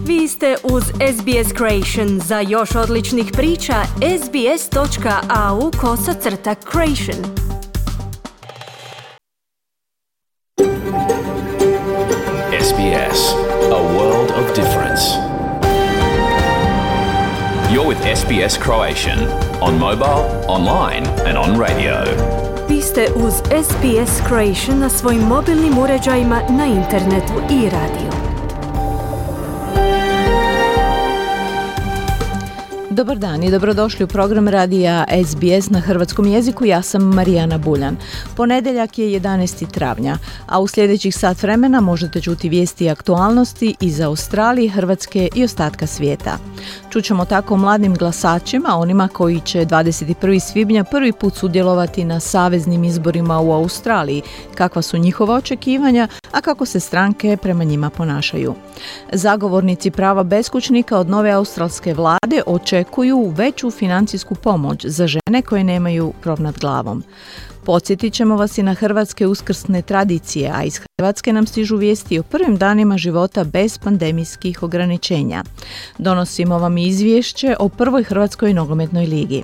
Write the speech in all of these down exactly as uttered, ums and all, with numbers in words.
Vi ste uz S B S Creation. Za još odličnih priča, sbs.au kosacrta creation. S B S, a world of difference. You're with S B S Croatian on mobile, online and on radio. Vi ste uz S B S Croatian na svojim mobilnim uređajima, na internetu i radiju. Dobar dan i dobrodošli u program radija S B S na hrvatskom jeziku. Ja sam Marijana Buljan. Ponedjeljak je jedanaesti travnja, a u sljedećih sat vremena možete čuti vijesti i aktualnosti iz Australije, Hrvatske i ostatka svijeta. Čućemo tako o mladim glasačima, onima koji će dvadeset prvog svibnja prvi put sudjelovati na saveznim izborima u Australiji, kakva su njihova očekivanja, a kako se stranke prema njima ponašaju. Zagovornici prava beskućnika od nove australske vlade očekuju veću financijsku pomoć za žene koje nemaju krov nad glavom. Podsjetit ćemo vas i na hrvatske uskrsne tradicije, a iz Hrvatske nam stižu vijesti o prvim danima života bez pandemijskih ograničenja. Donosimo vam izvješće o prvoj hrvatskoj nogometnoj ligi.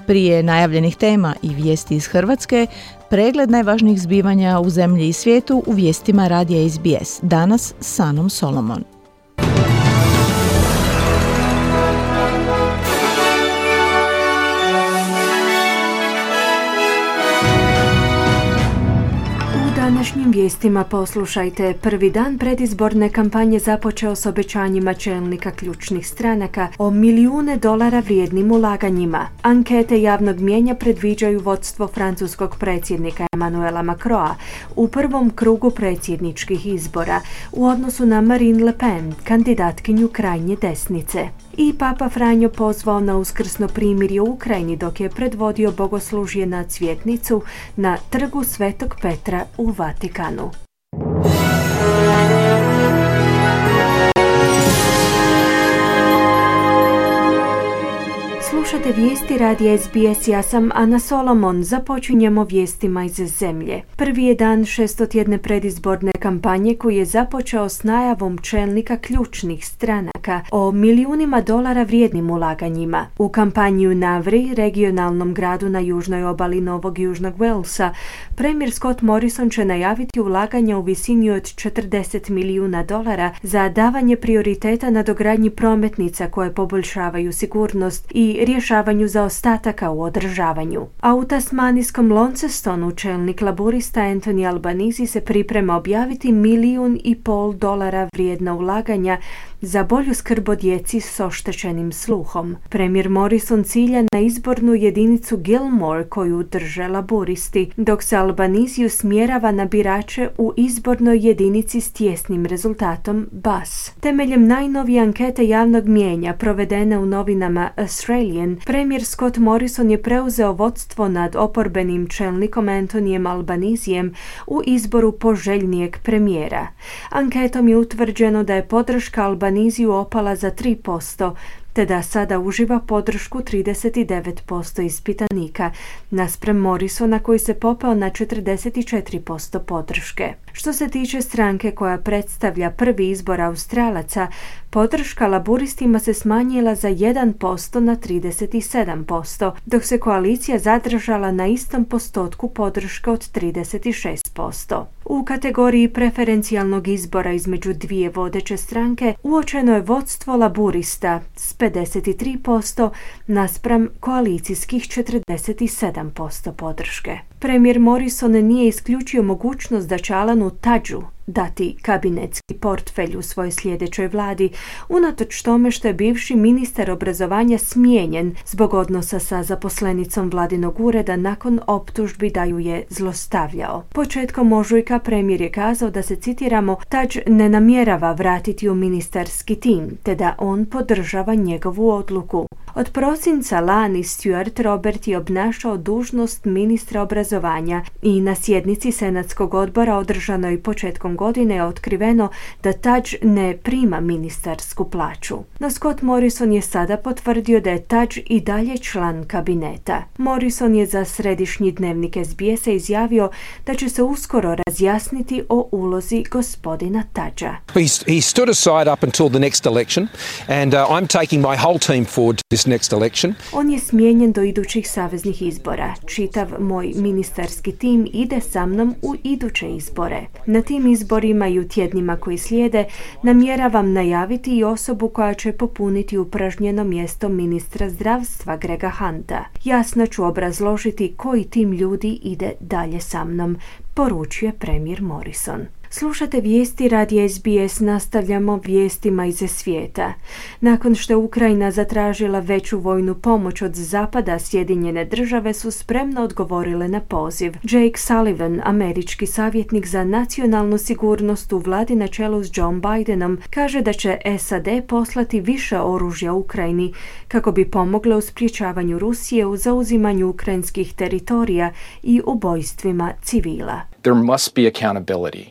Prije najavljenih tema i vijesti iz Hrvatske, pregled najvažnijih zbivanja u zemlji i svijetu u vijestima radija S B S. Danas s Anom Solomon. U današnjim vijestima poslušajte. Prvi dan predizborne kampanje započeo s obećanjima čelnika ključnih stranaka o milijune dolara vrijednim ulaganjima. Ankete javnog mnijenja predviđaju vodstvo francuskog predsjednika Emmanuela Macrona u prvom krugu predsjedničkih izbora u odnosu na Marine Le Pen, kandidatkinju krajnje desnice. I Papa Franjo pozvao na uskrsno primirje u Ukrajini dok je predvodio bogoslužje na cvjetnicu na trgu Svetog Petra u Vatikanu. Slušate vijesti radija S B S, ja sam Ana Solomon. Započinjemo vijestima iz zemlje. Prvi je dan šestotjedne predizborne kampanje koji je započeo s najavom čelnika ključnih stranaka o milijunima dolara vrijednim ulaganjima. U kampanji u Navri, regionalnom gradu na južnoj obali Novog Južnog Walesa, premijer Scott Morrison će najaviti ulaganja u visini od četrdeset milijuna dolara za davanje prioriteta na dogradnji prometnica koje poboljšavaju sigurnost i rješavanju zaostataka u održavanju. A u tasmanijskom Launcestonu čelnik laburista Anthony Albanese se priprema objaviti milijun i pol dolara vrijedna ulaganja za bolju skrb o djeci s oštećenim sluhom. Premijer Morrison cilja na izbornu jedinicu Gilmore koju drže laburisti, dok se Albanese usmjerava na birače u izbornoj jedinici s tjesnim rezultatom Bass. Temeljem najnovije ankete javnog mnijenja provedene u novinama Australian, premijer Scott Morrison je preuzeo vodstvo nad oporbenim čelnikom Anthonyjem Albanesejem u izboru poželjnijeg premijera. Anketom je utvrđeno da je podrška Albanesiju opala za tri posto, te da sada uživa podršku trideset devet posto ispitanika, naspram Morrisona koji se popeo na četrdeset četiri posto podrške. Što se tiče stranke koja predstavlja prvi izbor Australaca, podrška laburistima se smanjila za jedan posto na trideset sedam posto, dok se koalicija zadržala na istom postotku podrške od trideset šest posto. U kategoriji preferencijalnog izbora između dvije vodeće stranke uočeno je vodstvo laburista s pedeset tri posto naspram koalicijskih četrdeset sedam posto podrške. Premijer Morrison nije isključio mogućnost da će Alanu Tudgeu dati kabinetski portfelj u svojoj sljedećoj vladi, unatoč tome što je bivši ministar obrazovanja smijenjen zbog odnosa sa zaposlenicom vladinog ureda nakon optužbi da ju je zlostavljao. Početkom ožujka premijer je kazao da se, citiramo, Tudge ne namjerava vratiti u ministarski tim, te da on podržava njegovu odluku. Od prosinca lani Stuart Robert je obnašao dužnost ministra obrazovanja i na sjednici Senatskog odbora održanoj početkom godine je otkriveno da Tudge ne prima ministarsku plaću. No Scott Morrison je sada potvrdio da je Tudge i dalje član kabineta. Morrison je za središnji dnevnik S B S-a izjavio da će se uskoro razjasniti o ulozi gospodina Tudgea. He, he stood aside up until the next election and uh, I'm taking my whole team forward to this next election. On je smijenjen do idućih saveznih izbora. Čitav moj ministarski tim ide sa mnom u iduće izbore. Na tim izborima i u tjednima koji slijede namjeravam najaviti i osobu koja će popuniti upražnjeno mjesto ministra zdravstva Grega Hunta. Jasno ću obrazložiti koji tim ljudi ide dalje sa mnom, poručuje premijer Morrison. Slušate vijesti radija S B S, nastavljamo vijestima iz svijeta. Nakon što je Ukrajina zatražila veću vojnu pomoć od Zapada, Sjedinjene države su spremno odgovorile na poziv. Jake Sullivan, američki savjetnik za nacionalnu sigurnost u vladi na čelu s John Bidenom, kaže da će S A D poslati više oružja Ukrajini kako bi pomogle u sprječavanju Rusije u zauzimanju ukrajinskih teritorija i ubojstvima civila. There must be accountability.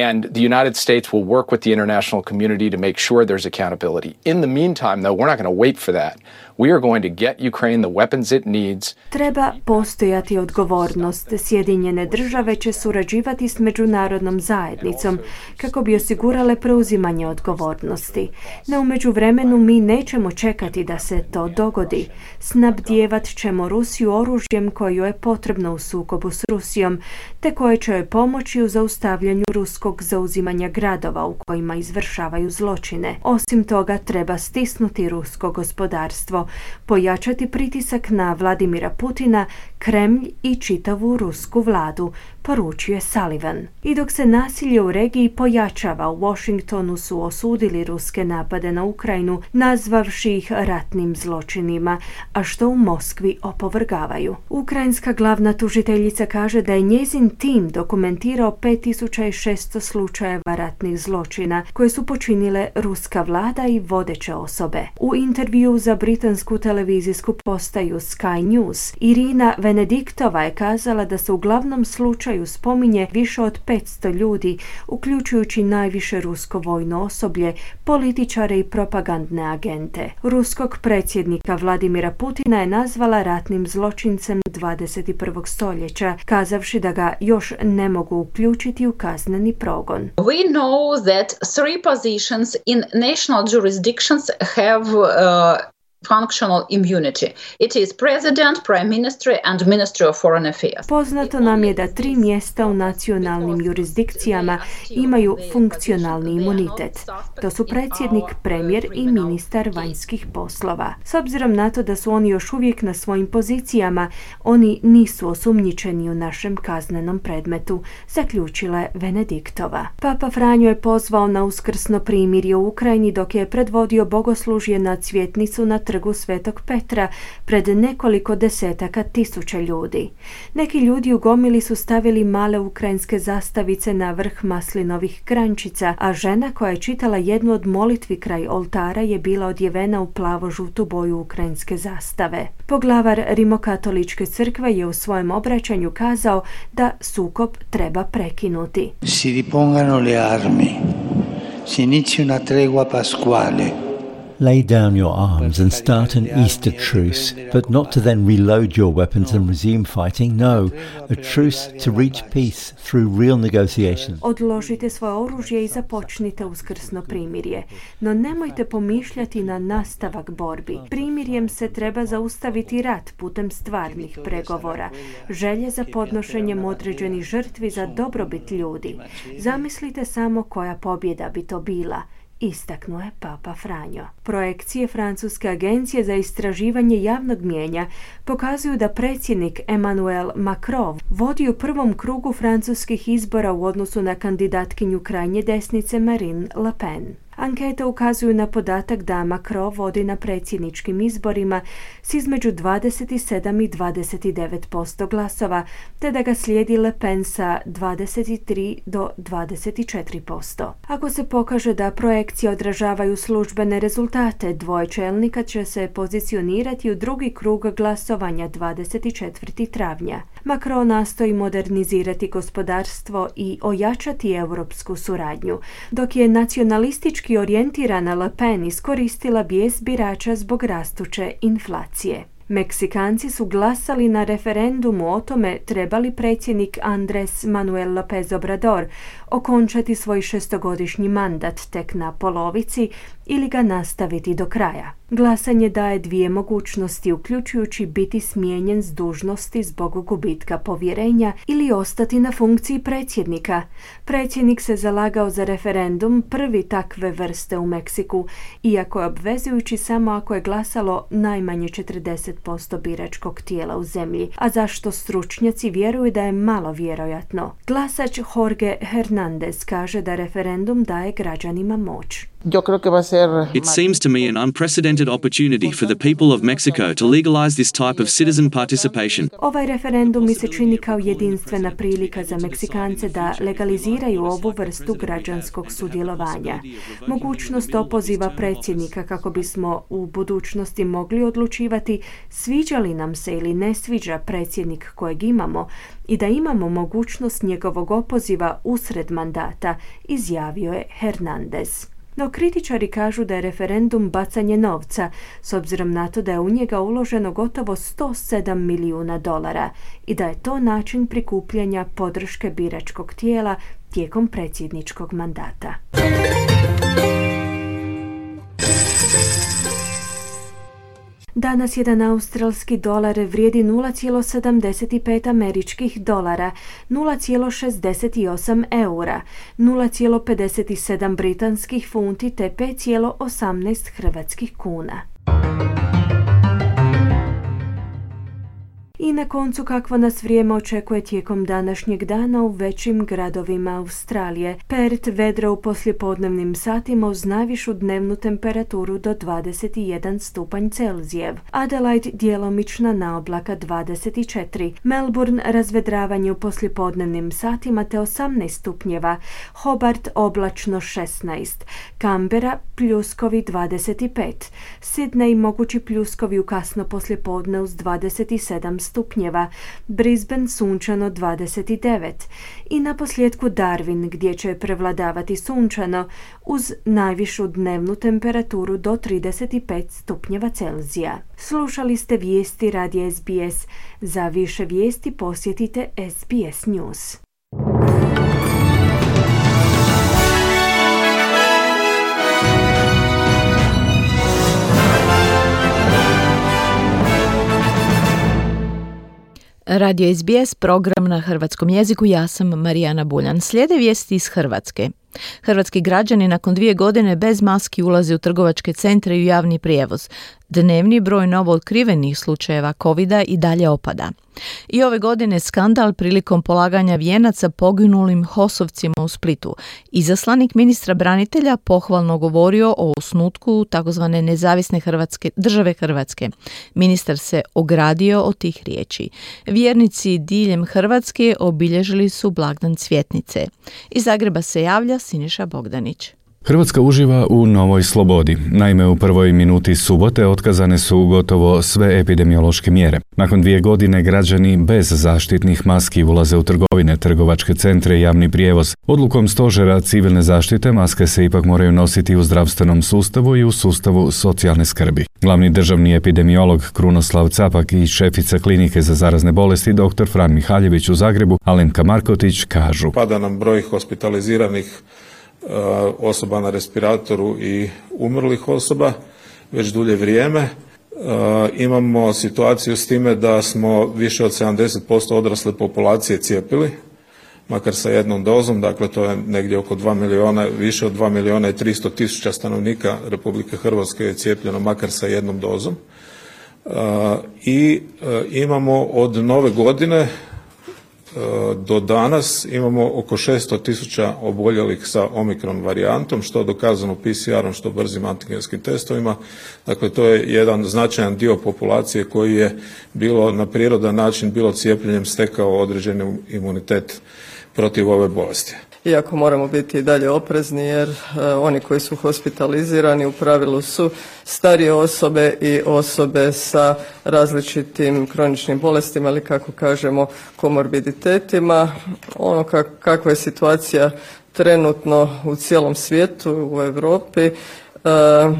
And the United States will work with the international community to make sure there's accountability. In the meantime, though, we're not going to wait for that. We are going to get Ukraine the weapons it needs. Treba postojati odgovornost. Sjedinjene države će surađivati s međunarodnom zajednicom kako bi osigurale preuzimanje odgovornosti. No u međuvremenu mi nećemo čekati da se to dogodi. Snabdijevat ćemo Rusiju oružjem koje je potrebno u sukobu s Rusijom, te koje će joj pomoći u zaustavljanju ruskog zauzimanja gradova u kojima izvršavaju zločine. Osim toga, treba stisnuti rusko gospodarstvo, pojačati pritisak na Vladimira Putina, Kremlj i čitavu rusku vladu, poručuje Sullivan. I dok se nasilje u regiji pojačava, u Washingtonu su osudili ruske napade na Ukrajinu, nazvavši ih ratnim zločinima, a što u Moskvi opovrgavaju. Ukrajinska glavna tužiteljica kaže da je njezin tim dokumentirao pet tisuća šesto slučajeva ratnih zločina koje su počinile ruska vlada i vodeće osobe. U intervju za britansku televizijsku postaju Sky News, Irina Venediktova je kazala da se u glavnom slučaju spominje više od petsto ljudi, uključujući najviše rusko vojno osoblje, političare i propagandne agente. Ruskog predsjednika Vladimira Putina je nazvala ratnim zločincem dvadeset prvog stoljeća, kazavši da ga još ne mogu uključiti u kazneni progon. We know that three positions in national jurisdictions have uh, functional immunity. It is president, prime minister and ministry of foreign affairs. Poznato nam je da tri mjesta u nacionalnim jurisdikcijama imaju funkcionalni imunitet. To su predsjednik, premijer i ministar vanjskih poslova. S obzirom na to da su oni još uvijek na svojim pozicijama, oni nisu osumnjičeni u našem kaznenom predmetu, zaključila je Venediktova. Papa Franjo je pozvao na uskrsno primirje u Ukrajini dok je predvodio bogoslužje na cvjetnicu na trgu Svetog Petra pred nekoliko desetaka tisuća ljudi. Neki ljudi u gomili su stavili male ukrajinske zastavice na vrh maslinovih grančica, a žena koja je čitala jednu od molitvi kraj oltara je bila odjevena u plavo-žutu boju ukrajinske zastave. Poglavar Rimokatoličke crkve je u svojem obraćanju kazao da sukob treba prekinuti. Si ripongano le armi. Si inizi una tregua pasquale. Lay down your arms and start an Easter truce, but not to then reload your weapons and resume fighting. No, a truce to reach peace through real negotiations. Odložite svoje oružje i započnite uskrsno primirje, no nemojte pomišljati na nastavak borbi. Primirjem se treba zaustaviti rat putem stvarnih pregovora, želje za podnošenjem određenih žrtvi za dobrobit ljudi. Zamislite samo koja pobjeda bi to bila, istaknuo je Papa Franjo. Projekcije Francuske agencije za istraživanje javnog mnijenja pokazuju da predsjednik Emmanuel Macron vodi u prvom krugu francuskih izbora u odnosu na kandidatkinju krajnje desnice Marine Le Pen. Ankete ukazuju na podatak da Macron vodi na predsjedničkim izborima s između dvadeset sedam i dvadeset devet posto glasova, te da ga slijedi Le Pen sa dvadeset tri do dvadeset četiri posto. Ako se pokaže da projekcije odražavaju službene rezultate, dvoje čelnika će se pozicionirati u drugi krug glasovanja dvadeset četvrtog travnja. Macron nastoji modernizirati gospodarstvo i ojačati europsku suradnju, dok je nacionalistički orijentirana Le Pen iskoristila bijes birača zbog rastuće inflacije. Meksikanci su glasali na referendumu o tome treba li predsjednik Andrés Manuel López Obrador okončati svoj šestogodišnji mandat tek na polovici ili ga nastaviti do kraja. Glasanje daje dvije mogućnosti, uključujući biti smijenjen s dužnosti zbog gubitka povjerenja ili ostati na funkciji predsjednika. Predsjednik se zalagao za referendum, prvi takve vrste u Meksiku, iako je obvezujući samo ako je glasalo najmanje četrdeset posto biračkog tijela u zemlji, a zašto stručnjaci vjeruju da je malo vjerojatno. Glasač Jorge Hernández kaže da referendum daje građanima moć. It seems to me an unprecedented opportunity for the people of Mexico to legalize this type of citizen participation. Ovaj referendum mi se čini kao jedinstvena prilika za Meksikance da legaliziraju ovu vrstu građanskog sudjelovanja. Mogućnost opoziva predsjednika kako bismo u budućnosti mogli odlučivati sviđa li nam se ili ne sviđa predsjednik kojeg imamo i da imamo mogućnost njegovog opoziva usred mandata, izjavio je Hernández. No kritičari kažu da je referendum bacanje novca, s obzirom na to da je u njega uloženo gotovo sto sedam milijuna dolara i da je to način prikupljanja podrške biračkog tijela tijekom predsjedničkog mandata. Danas jedan australski dolar vrijedi nula zarez sedamdeset pet američkih dolara, nula zarez šezdeset osam eura, nula zarez pedeset sedam britanskih funti te pet zarez osamnaest hrvatskih kuna. I na koncu kakvo nas vrijeme očekuje tijekom današnjeg dana u većim gradovima Australije. Perth vedro u poslijepodnevnim satima uz najvišu dnevnu temperaturu do dvadeset jedan stupanj Celzijev. Adelaide djelomična naoblaka dvadeset četiri. Melbourne razvedravanje u poslijepodnevnim satima te osamnaest stupnjeva. Hobart oblačno šesnaest. Canberra pljuskovi dvadeset pet. Sydney mogući pljuskovi u kasno poslijepodne uz dvadeset sedam stupnjeva, Brisbane sunčano dvadeset devet i na posljedku Darwin gdje će prevladavati sunčano uz najvišu dnevnu temperaturu do trideset pet stupnjeva Celzija. Slušali ste vijesti radija S B S. Za više vijesti posjetite S B S News. Radio S B S, program na hrvatskom jeziku, ja sam Marijana Buljan. Slijede vijesti iz Hrvatske. Hrvatski građani nakon dvije godine bez maski ulaze u trgovačke centre i u javni prijevoz. Dnevni broj novootkrivenih slučajeva kovida i dalje opada. I ove godine skandal prilikom polaganja vijenaca poginulim hosovcima u Splitu. Izaslanik ministra branitelja pohvalno govorio o osnutku takozvane nezavisne Hrvatske, države Hrvatske. Ministar se ogradio od tih riječi. Vjernici diljem Hrvatske obilježili su blagdan Cvjetnice. Iz Zagreba se javlja Siniša Bogdanić. Hrvatska uživa u novoj slobodi. Naime, u prvoj minuti subote otkazane su gotovo sve epidemiološke mjere. Nakon dvije godine građani bez zaštitnih maski ulaze u trgovine, trgovačke centre i javni prijevoz. Odlukom stožera civilne zaštite maske se ipak moraju nositi u zdravstvenom sustavu i u sustavu socijalne skrbi. Glavni državni epidemiolog Krunoslav Capak i šefica klinike za zarazne bolesti dr. Fran Mihaljević u Zagrebu, Alenka Markotić, kažu: Pada nam broj hospitaliziranih osoba na respiratoru i umrlih osoba već dulje vrijeme. E, imamo situaciju s time da smo više od sedamdeset posto odrasle populacije cijepili, makar sa jednom dozom, dakle to je negdje oko dva milijuna, više od dva milijuna i tristo tisuća stanovnika Republike Hrvatske je cijepljeno makar sa jednom dozom. E, I e, imamo od nove godine do danas imamo oko šesto tisuća oboljelih sa omikron varijantom, što dokazano P C R-om, što brzim antigenskim testovima. Dakle, to je jedan značajan dio populacije koji je bilo na prirodan način, bilo cijepljenjem stekao određeni imunitet protiv ove bolesti. Iako moramo biti i dalje oprezni jer e, oni koji su hospitalizirani u pravilu su starije osobe i osobe sa različitim kroničnim bolestima ili kako kažemo komorbiditetima. Ono kak, kakva je situacija trenutno u cijelom svijetu, u Europi, e,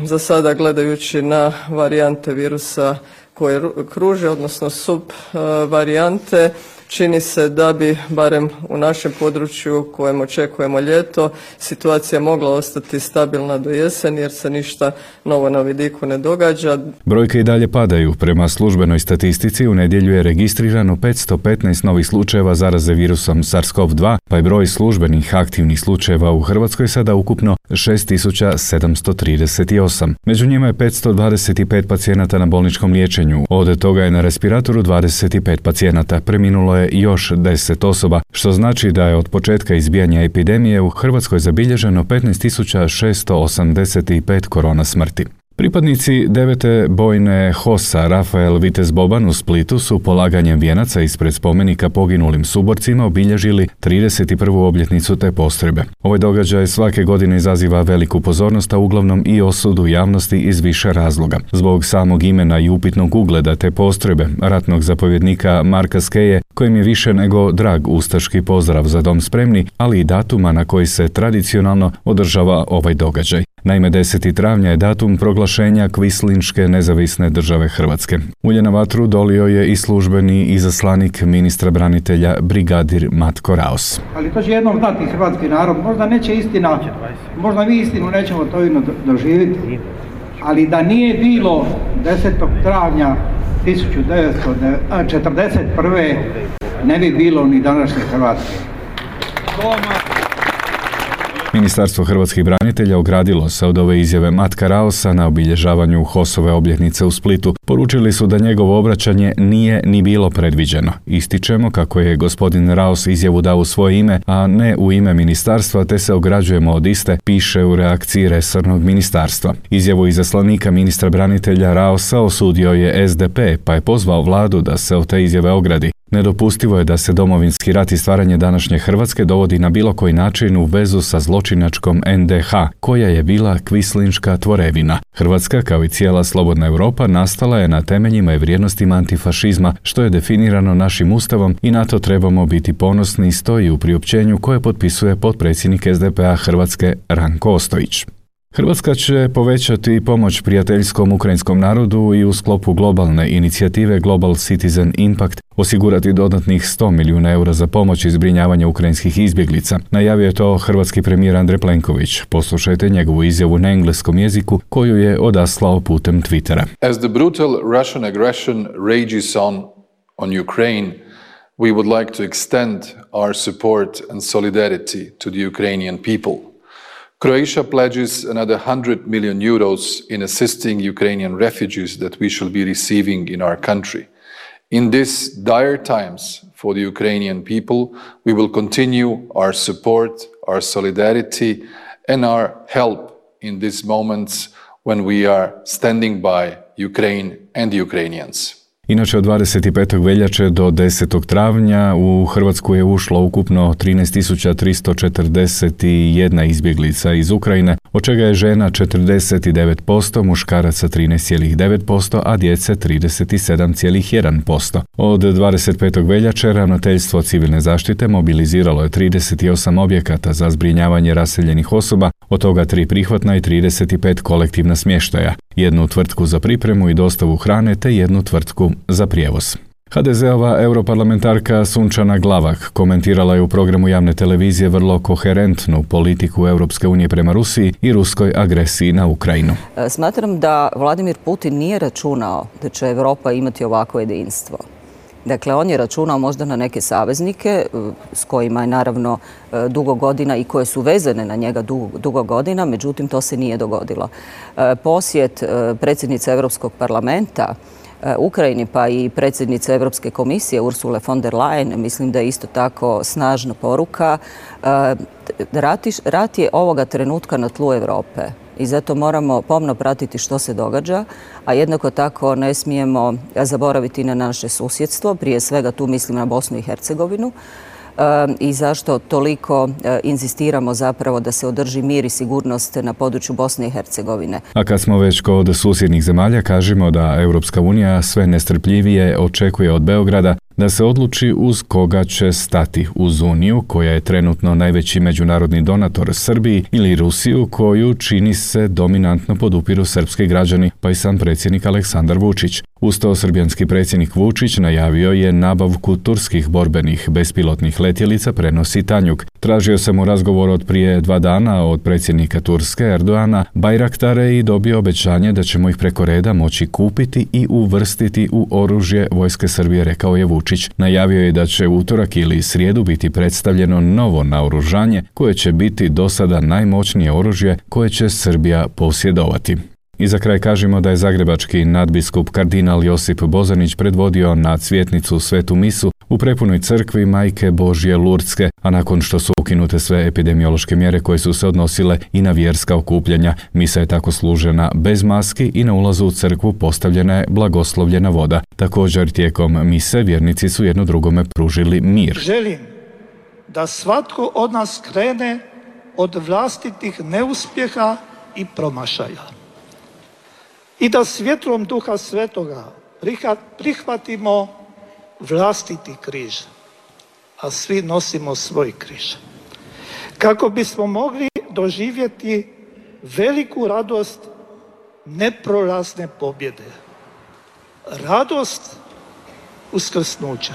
za sada gledajući na varijante virusa koje kruže, odnosno sub e, varijante, čini se da bi, barem u našem području u kojem očekujemo ljeto, situacija mogla ostati stabilna do jeseni jer se ništa novo na vidiku ne događa. Brojke i dalje padaju. Prema službenoj statistici u nedjelju je registrirano petsto petnaest novih slučajeva zaraze virusom SARS-CoV dva, pa je broj službenih aktivnih slučajeva u Hrvatskoj sada ukupno šest tisuća sedamsto trideset osam. Među njima je petsto dvadeset pet pacijenata na bolničkom liječenju. Od toga je na respiratoru dvadeset pet pacijenata. Preminulo je još deset osoba, što znači da je od početka izbijanja epidemije u Hrvatskoj zabilježeno petnaest tisuća šesto osamdeset pet korona smrti. Pripadnici devete bojne H O S-a Rafael Vitez Boban u Splitu su polaganjem vijenaca ispred spomenika poginulim suborcima obilježili trideset prvu obljetnicu te postrojbe. Ovaj događaj svake godine izaziva veliku pozornost, a uglavnom i osudu javnosti iz više razloga. Zbog samog imena i upitnog ugleda te postrojbe, ratnog zapovjednika Marka Skeje, kojim je više nego drag ustaški pozdrav za dom spremni, ali i datuma na koji se tradicionalno održava ovaj događaj. Naime, deseti travnja je datum proglašenja Kvislinške nezavisne države Hrvatske. Ulje na vatru dolio je i službeni izaslanik ministra branitelja brigadir Matko Raos. Ali to će jednom znati hrvatski narod, možda neće istina, možda mi istinu nećemo to jedno doživjeti, ali da nije bilo desetog travnja tisuću devetsto četrdeset prve ne bi bilo ni današnje Hrvatske. Ministarstvo hrvatskih branitelja ogradilo se od ove izjave Matka Raosa na obilježavanju H O S-ove obljetnice u Splitu. Poručili su da njegovo obraćanje nije ni bilo predviđeno. Ističemo kako je gospodin Raos izjavu dao u svoje ime, a ne u ime ministarstva, te se ograđujemo od iste, piše u reakciji resornog ministarstva. Izjavu izaslanika ministra branitelja Raosa osudio je S D P, pa je pozvao vladu da se od te izjave ogradi. Nedopustivo je da se Domovinski rat i stvaranje današnje Hrvatske dovodi na bilo koji način u vezu sa zločinačkom N D H, koja je bila kvislinška tvorevina. Hrvatska, kao i cijela slobodna Europa, nastala je na temeljima i vrijednostima antifašizma, što je definirano našim ustavom i na to trebamo biti ponosni, stoji u priopćenju koje potpisuje potpredsjednik S D P-a Hrvatske Ranko Ostojić. Hrvatska će povećati pomoć prijateljskom ukrajinskom narodu i u sklopu globalne inicijative Global Citizen Impact osigurati dodatnih sto milijuna eura za pomoć i zbrinjavanje ukrajinskih izbjeglica. Najavio je to hrvatski premijer Andrej Plenković. Poslušajte njegovu izjavu na engleskom jeziku koju je odaslao putem Twittera. As the brutal Russian aggression rages on on Ukraine, we would like to extend our support and solidarity to the Ukrainian people. Croatia pledges another one hundred million euros in assisting Ukrainian refugees that we shall be receiving in our country. In these dire times for the Ukrainian people, we will continue our support, our solidarity, and our help in these moments when we are standing by Ukraine and the Ukrainians. Inače, od dvadeset petog veljače do desetog travnja u Hrvatsku je ušlo ukupno trinaest tisuća tristo četrdeset jedna izbjeglica iz Ukrajine, od čega je žena četrdeset devet posto, muškaraca trinaest zarez devet posto, a djece trideset sedam zarez jedan posto. Od dvadeset petog veljače Ravnateljstvo civilne zaštite mobiliziralo je trideset osam objekata za zbrinjavanje raseljenih osoba, od toga tri prihvatna i trideset pet kolektivna smještaja, jednu tvrtku za pripremu i dostavu hrane te jednu tvrtku za prijevoz. ha de ze-ova europarlamentarka Sunčana Glavak komentirala je u programu javne televizije vrlo koherentnu politiku Europske unije prema Rusiji i ruskoj agresiji na Ukrajinu. Smatram da Vladimir Putin nije računao da će Europa imati ovako jedinstvo. Dakle, on je računao možda na neke saveznike s kojima je naravno dugo godina i koje su vezane na njega dugo, dugo godina, međutim to se nije dogodilo. Posjet predsjednice Europskog parlamenta Ukrajini, pa i predsjednice Europske komisije Ursule von der Leyen, mislim da je isto tako snažna poruka. Rat je ovoga trenutka na tlu Europe i zato moramo pomno pratiti što se događa, a jednako tako ne smijemo zaboraviti na naše susjedstvo, prije svega tu mislim na Bosnu i Hercegovinu, i zašto toliko inzistiramo zapravo da se održi mir i sigurnost na području Bosne i Hercegovine. A kad smo već kod susjednih zemalja, kažemo da Europska unija sve nestrpljivije očekuje od Beograda da se odluči uz koga će stati, uz Uniju, koja je trenutno najveći međunarodni donator Srbiji, ili Rusiju, koju čini se dominantno podupiru srpski građani, pa i sam predsjednik Aleksandar Vučić. Uz to srbijanski predsjednik Vučić najavio je nabavku turskih borbenih bespilotnih letjelica prenosi Tanjug. Tražio sam mu razgovor od prije dva dana od predsjednika Turske Erdoana Bajraktare i dobio obećanje da ćemo ih preko reda moći kupiti i uvrstiti u oružje vojske Srbije, rekao je Vučić. Najavio je da će utorak ili srijedu biti predstavljeno novo naoružanje koje će biti do sada najmoćnije oružje koje će Srbija posjedovati. I za kraj kažemo da je zagrebački nadbiskup kardinal Josip Bozanić predvodio na cvjetnicu Svetu misu u prepunoj crkvi Majke Božje Lurdske, a nakon što su ukinute sve epidemiološke mjere koje su se odnosile i na vjerska okupljanja, misa je tako služena bez maski i na ulazu u crkvu postavljena je blagoslovljena voda. Također tijekom mise vjernici su jedno drugome pružili mir. Želim da svatko od nas krene od vlastitih neuspjeha i promašaja i da svjetlom Duha Svetoga prihvatimo vlastiti križ, a svi nosimo svoj križ, kako bismo mogli doživjeti veliku radost neprolazne pobjede, radost uskrsnuća.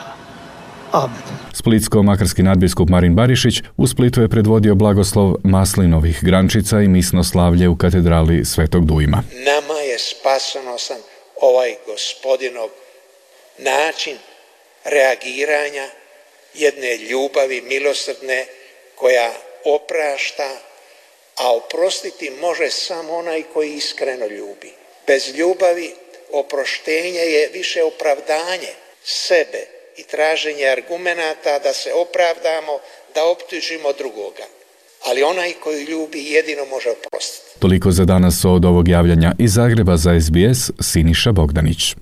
Amen. Splitsko-makarski nadbiskup Marin Barišić u Splitu je predvodio blagoslov maslinovih grančica i misno slavlje u katedrali Svetog Dujma. Nama je spasonosan ovaj Gospodinov način reagiranja jedne ljubavi milosrdne koja oprašta, a oprostiti može samo onaj koji iskreno ljubi. Bez ljubavi oproštenje je više opravdanje sebe i traženje argumenata da se opravdamo, da optužimo drugoga. Ali onaj koji ljubi jedino može oprostiti. Toliko za danas od ovog javljanja iz Zagreba za S B S, Siniša Bogdanić.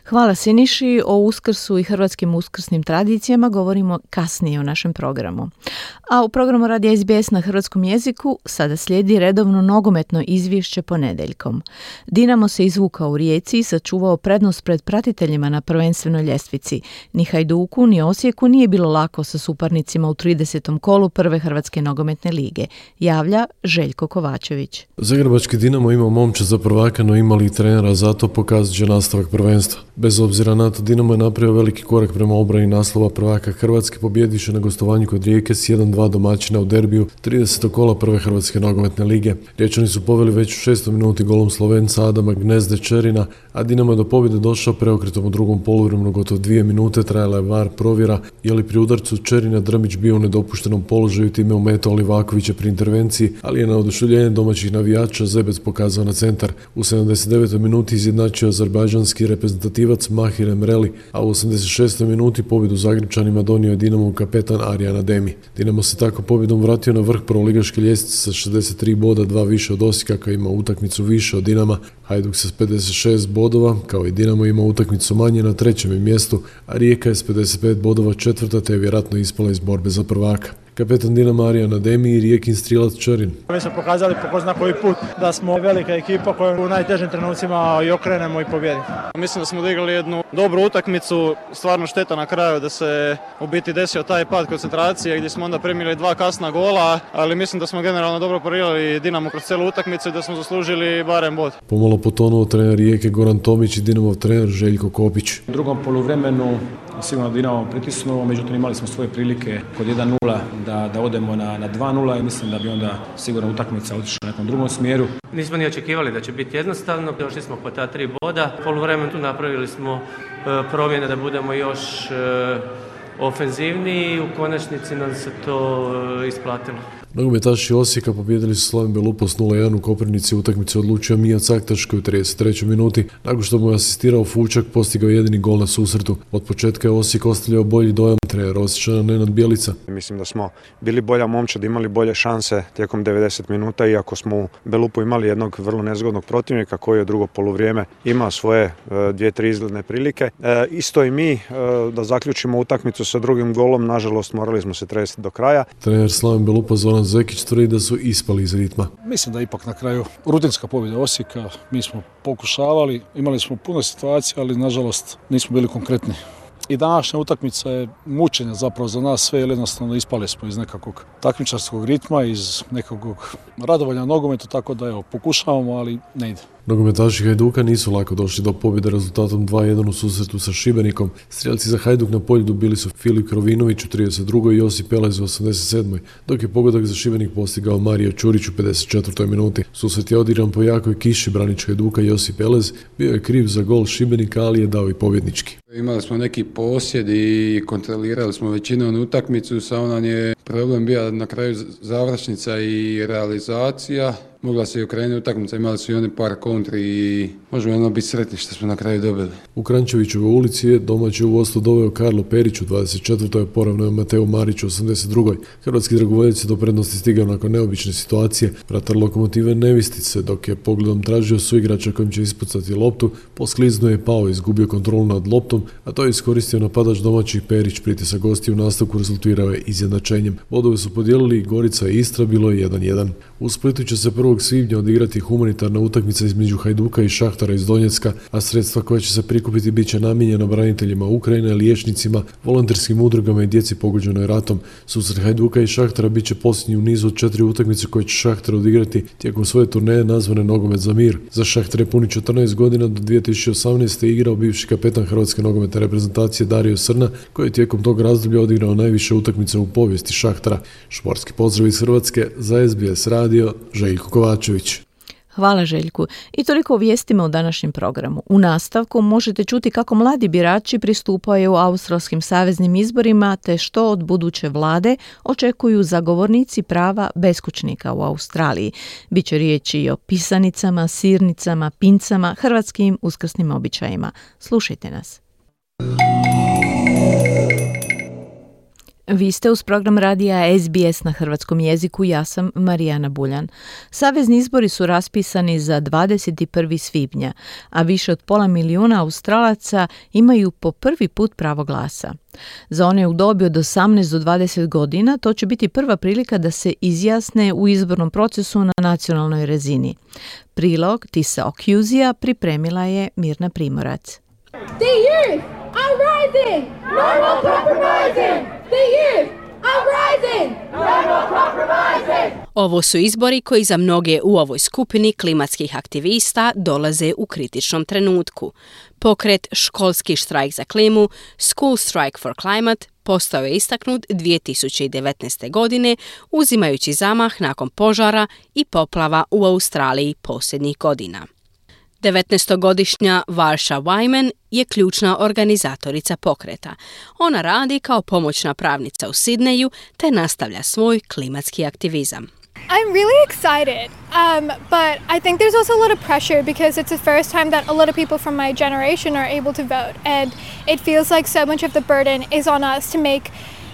Hvala Siniši. O Uskrsu i hrvatskim uskrsnim tradicijama govorimo kasnije u našem programu. A u programu Radija S B S na hrvatskom jeziku sada slijedi redovno nogometno izvješće ponedjeljkom. Dinamo se izvukao u Rijeci i sačuvao prednost pred pratiteljima na prvenstvenoj ljestvici. Ni Hajduku, ni Osijeku nije bilo lako sa suparnicima u tridesetom kolu prve Hrvatske nogometne lige. Javlja Željko Kovačević. Zagrebački Dinamo ima momče za prvaka, no imali i trenera, zato pokazat će nastavak prvenstva. Bez obzira na to, Dinamo je napravio veliki korak prema obrani naslova prvaka Hrvatske, pobjediše na gostovanju kod Rijeke s jedan dva domaćina u derbiju tridesetog kola prve Hrvatske nogometne lige. Riječani su poveli već u šestoj minuti golom Slovenca Adama Gnezde Čerina, a Dinamo je do pobjede došao preokretom u drugom poluvremenu. Gotovo dvije minute trajala je var provjera, je li pri udarcu Čerina Drmić bio u nedopuštenom položaju, time ometao Livakovića pri intervenciji, ali je na oduševljenje domaćih navijača Zebec pokazao na centar. U sedamdeset devetoj minuti izjednačio azerbajdžanski reprezentativac Mahir Emreli, a u osamdeset šestoj minuti pobjedu Zagrepčanima donio je Dinamov kapetan Arjan Ademi. Dinamo se tako pobjedom vratio na vrh prvoligaške ljestvice sa šezdeset tri boda, dva više od Osijeka koji ima utakmicu više od Dinama. Hajduk se s pedeset šest bodova, kao i Dinamo, ima utakmicu manje na trećem je mjestu, a Rijeka je s pedeset pet bodova četvrta, te je vjerojatno ispala iz borbe za prvaka. Kapetan Dinama Arjan Ademi i Rijekin strilac Čerin. Mi smo pokazali po ko zna koji put da smo velika ekipa koju u najtežim trenucima i okrenemo i pobjedimo. Mislim da smo odigrali jednu dobru utakmicu, stvarno šteta na kraju da se u biti desio taj pad koncentracije gdje smo onda primili dva kasna gola, ali mislim da smo generalno dobro parirali Dinamo kroz cijelu utakmicu i da smo zaslužili barem bod. Pomalo potonuo trener Rijeke Goran Tomić i Dinamov trener Željko Kopić. U drugom poluvremenu sigurno Dinamo pritisnuo, međutim imali smo svoje prilike kod jedan nula da, da odemo na, na dva nula i mislim da bi onda sigurno utakmica otišla u nekom drugom smjeru. Nismo ni očekivali da će biti jednostavno, došli smo po ta tri boda, poluvremenu tu napravili smo e, promjene da budemo još e, ofenzivniji i u konačnici nam se to e, isplatilo. Nogometaši Osijeka pobijedili su Slaven Belupo s nula jedan u Koprivnici. Utakmicu odlučio Mija Caktaš koji u trideset trećoj minuti, nakon što mu je asistirao Fučak, postigao jedini gol na susretu. Od početka je Osijek ostavljao bolji dojam. Trener Osječana Nenad Bjelica. Mislim da smo bili bolja momčad, imali bolje šanse tijekom devedeset minuta, iako smo u Belupu imali jednog vrlo nezgodnog protivnika koji je drugo poluvrijeme imao svoje e, dvije, tri izgledne prilike. E, isto i mi e, da zaključimo utakmicu sa drugim golom, nažalost morali smo se tresiti do kraja. Trener Slaven Belupa Zoran Zekić tvrdi da su ispali iz ritma. Mislim da ipak na kraju rutinska pobjeda Osijeka, mi smo pokušavali, imali smo puno situacija, ali nažalost nismo bili konkretni. I današnja utakmica je mučenje zapravo za nas sve, jer jednostavno ispali smo iz nekakvog takmičarskog ritma, iz nekakvog radovanja nogometa, tako da evo, pokušavamo, ali ne ide. Nogometaši Hajduka nisu lako došli do pobjede rezultatom dva jedan u susretu sa Šibenikom. Strijelci za Hajduk na Poljudu bili su Filip Krovinović u trideset drugoj i Josip Pelez u osamdeset sedmoj, dok je pogodak za Šibenik postigao Mario Ćurić u pedeset četvrtoj minuti. Susret je odigran po jakoj kiši. Branič Hajduka Josip Pelez bio je kriv za gol Šibenika, ali je dao i pobjednički. Imali smo neki posjed i kontrolirali smo većinom utakmicu, samo nam je problem bio na kraju završnica i realizacija. Mogla se i okrenuti utakmica, imali su i oni par kontri i možemo jedno biti sretni što smo na kraju dobili. U Krančevićevoj ulici je domaći u vodstvo doveo Karlo Perić u dvadeset četvrtoj poravnao je Mateo Marić u osamdeset drugoj. Hrvatski dragovoljac je do prednosti stigao nakon neobične situacije. Vratar Lokomotive Nevistice, dok je pogledom tražio suigrača kojim će ispucati loptu, poskliznuo je pao i izgubio kontrolu nad loptom, a to je iskoristio napadač domaćih Perić. Pritisak gostiju u nastavku rezultirao je izjednačenjem. Bodove su podijelili Gorica i Istra, bilo je jedan jedan. U Splitu će se prvog svibnja odigrati humanitarna utakmica između Hajduka i Šahtara iz Donjecka, a sredstva koja će se prikupiti bit će namijenjena braniteljima Ukrajine, liječnicima, volonterskim udrugama i djeci pogođenoj ratom. Susret Hajduka i Šahtara bit će posljednji u nizu od četiri utakmice koje će Šahtar odigrati tijekom svoje turneje nazvane Nogomet za mir. Za Šahtar je puni četrnaest godina, do dvije tisuće osamnaeste. igrao bivši kapetan hrvatske nogometne reprezentacije Dario Srna, koji je tijekom tog razdoblja odigrao najviše utakmice u povijesti Šahtara. Športski pozdrav iz Hrvatske za S B S radio, Željko Kovačević. Hvala Željku. I toliko o vijestima u današnjem programu. U nastavku možete čuti kako mladi birači pristupaju australskim saveznim izborima te što od buduće vlade očekuju zagovornici prava beskućnika u Australiji. Biće riječi i o pisanicama, sirnicama, pincama, hrvatskim uskrsnim običajima. Slušajte nas. Vi ste uz program radija S B S na hrvatskom jeziku, ja sam Marijana Buljan. Savezni izbori su raspisani za dvadeset prvog svibnja, a više od pola milijuna Australaca imaju po prvi put pravo glasa. Za one u dobi od osamnaest do dvadeset godina to će biti prva prilika da se izjasne u izbornom procesu na nacionalnoj razini. Prilog Tisa Okjuzija pripremila je Mirna Primorac. The youth are rising! No more compromising! The youth are rising! No more compromising! Ovo su izbori koji za mnoge u ovoj skupini klimatskih aktivista dolaze u kritičnom trenutku. Pokret Školski štrajk za klimu, School Strike for Climate, postao je istaknut dvije tisuće devetnaeste. godine, uzimajući zamah nakon požara i poplava u Australiji posljednjih godina. devetnaestogodišnja Varsha Wyman je ključna organizatorica pokreta. Ona radi kao pomoćna pravnica u Sidneju te nastavlja svoj klimatski aktivizam. I'm really excited, um, but I think there's also a lot of pressure because it's the first time that a lot of people from my generation are able to vote, and it feels like so much of the burden is on us to make